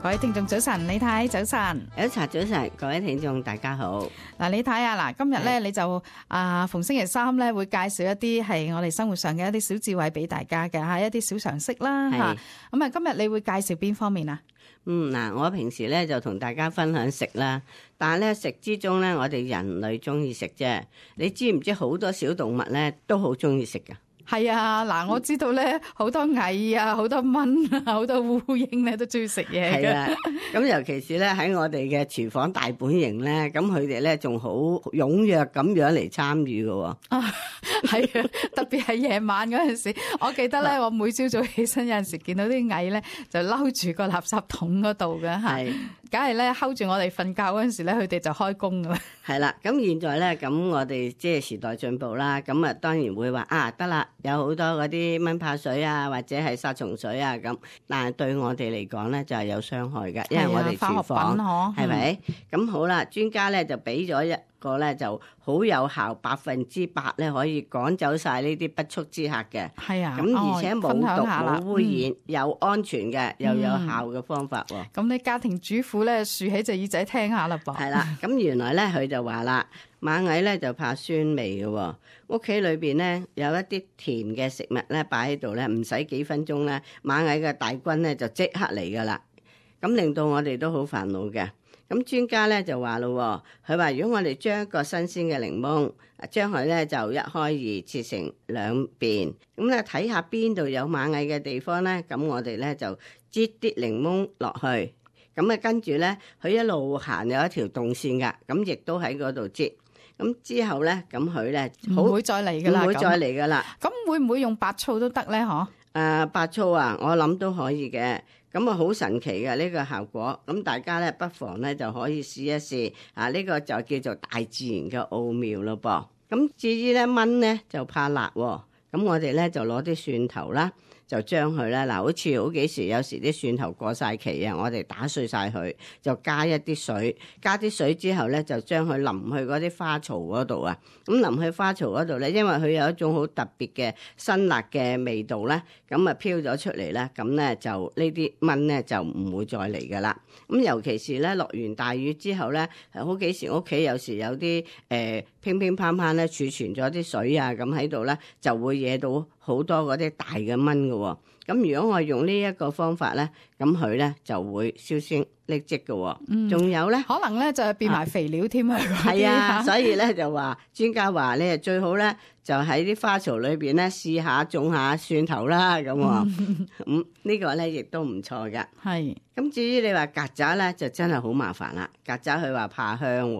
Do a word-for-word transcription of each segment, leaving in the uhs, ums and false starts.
各位聽眾早晨，李太早晨，有茶早晨，各位聽眾大家好。嗱，李太啊，嗱，今日咧你就啊逢星期三咧會介紹一啲係我哋生活上嘅一啲小智慧俾大家嘅吓，一啲小常識啦吓。咁啊，今日你會介紹邊方面啊？嗯，嗱，我平時咧就同大家分享食啦，但係咧食之中咧，我哋人類中意食啫。你知唔知好多小動物咧都好中意食噶？係啊，嗱，我知道咧好多蟻啊，好多蚊啊，好多烏蠅咧都中意食嘢嘅。係啊，咁尤其是咧喺我哋嘅廚房大本營咧，咁佢哋咧仲好踴躍咁樣嚟參與嘅。啊，係啊，特別係夜晚嗰陣時，我記得咧，我每朝早起身有陣時見到啲蟻咧，就撈住個垃圾桶嗰度嘅吓，梗係咧睺住我哋瞓覺嗰陣時咧，佢哋就開工噶啦。係啦，咁現在咧，咁我哋即係時代進步啦，咁啊當然會話啊得啦，有好多嗰啲蚊怕水啊，或者係殺蟲水啊咁，但係對我哋嚟講咧就係有傷害嘅，因為我哋廚房係咪？咁好啦，專家咧就俾咗一個咧就好有效，百分之百咧可以趕走晒呢啲不速之客嘅。係啊，咁而且冇毒冇污染，又安全嘅，又有效嘅方法喎。咁你家庭主婦咧豎起隻耳仔聽下啦噃。係啦，咁原來咧佢就話啦，螞蟻咧就怕酸味嘅，屋企裏邊咧有一啲甜嘅食物咧擺喺度咧，唔使幾分鐘咧，螞蟻嘅大軍咧就即刻嚟噶啦，咁令到我哋都好煩惱嘅。咁專家咧就話咯，佢話如果我哋將一個新鮮嘅檸檬，將佢咧就一開二切成兩邊，咁咧睇下邊度有螞蟻嘅地方咧，咁我哋咧就擠啲檸檬落去，咁啊跟住咧佢一路行有一條動線噶，咁亦都喺嗰度擠，咁之後咧咁佢咧唔會再嚟噶啦，唔會再嚟噶啦。咁會唔會用白醋都得咧？嗬？誒、呃，白醋啊，我諗都可以嘅。咁啊，好神奇嘅呢個效果，咁大家咧不妨咧就可以試一試啊！呢個就叫做大自然嘅奧妙咯噃。咁至於咧蚊咧就怕辣喎，咁我哋咧就攞啲蒜頭啦，就將佢咧嗱，好似好幾時有時啲蒜頭過晒期啊，我哋打碎晒佢，就加一啲水，加啲水之後咧就將佢淋去嗰啲花槽嗰度啊。咁淋去花槽嗰度咧，因為佢有一種好特別嘅辛辣嘅味道咧，咁啊飄咗出嚟咧，咁咧就呢啲蚊咧就唔會再嚟噶啦。咁尤其是咧落完大雨之後咧，好幾時屋企有時有啲誒、呃、乒乒乓乓咧儲存咗啲水啊，咁喺度咧就會惹到好多嗰啲大嘅蚊嘅。咁如果我用呢一個方法咧，咁佢咧就會銷聲匿跡嘅。嗯，仲有咧，可能咧就變埋肥料添啊。係啊，所以咧就話專家話咧最好咧就喺啲花槽裏邊咧試下種下蒜頭啦。咁咁、嗯、呢個咧亦都唔錯㗎。係。咁至於你話曱甴咧，就真係好麻煩啦。曱甴佢話怕香，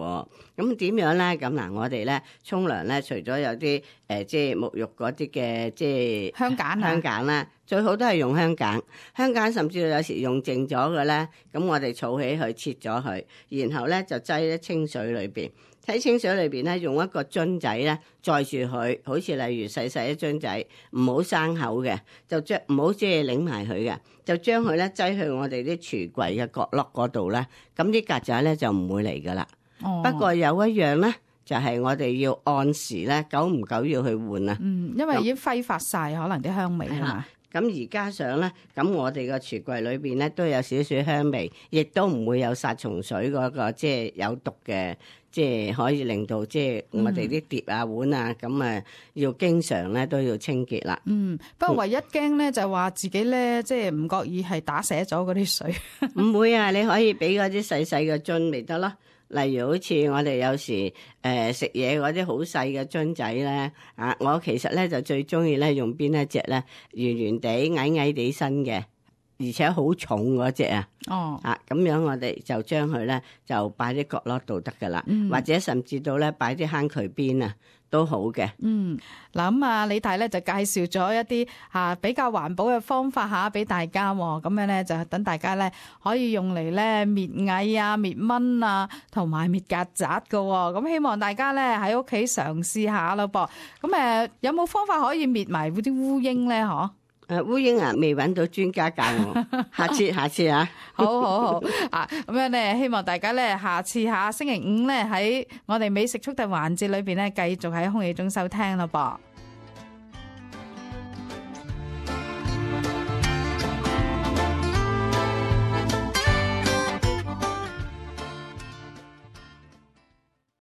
咁點樣咧？咁嗱，我哋咧沖涼咧，除咗有啲誒、呃，即係沐浴嗰啲嘅，即係香鹼啊，香鹼啦，最好都係用香鹼。香鹼甚至有時用剩咗嘅咧，咁我哋儲起佢，切咗佢，然後咧就擠喺清水裏邊。喺清水裏邊咧，用一個樽仔咧載住佢，好似例如細細一樽仔，唔好生口嘅，就將唔好即係擰埋佢嘅，就將佢咧擠去我哋啲櫥櫃嘅角落嗰度咧，咁啲曱甴咧就唔會嚟噶啦。哦、不過有一樣咧，就係、是、我哋要按時咧，久唔久要去換啊。嗯，因為已經揮發晒可能啲香味啊嘛。咁而加上咧，咁我哋個櫥櫃裏邊咧都有少少香味，亦都唔會有殺蟲水嗰、那個即係有毒嘅，即係可以令到即係我哋啲碟啊碗啊咁啊，要經常咧都要清潔啦。嗯，不過唯一驚咧就係話自己咧即係唔覺意係打瀉咗嗰啲水。唔會啊，你可以俾嗰啲細細嘅樽咪得咯。例如好似我哋有時誒食嘢嗰啲好細嘅樽仔咧，啊，我其實咧就最中意咧用邊一隻咧，圓圓地矮矮地身嘅，而且好重嗰隻啊。哦，啊咁樣我哋就將佢咧就擺啲角落度得噶啦，嗯、或者甚至到咧擺啲坑渠邊啊。都好嘅。嗯，嗱咁啊，李太咧就介紹咗一啲吓比較環保嘅方法吓俾大家，咁樣咧就等大家咧可以用嚟咧滅蟻啊、滅蚊啊，同埋滅曱甴噶。咁希望大家咧喺屋企嘗試下咯噃。咁誒，有冇方法可以滅埋嗰啲烏蠅咧？嗬？誒，烏蠅啊，未揾到專家教我，下次下次啊，好好好啊，咁樣咧，希望大家咧下次下星期五咧喺我哋美食速遞環節裏邊咧，繼續喺空氣中收聽咯噃。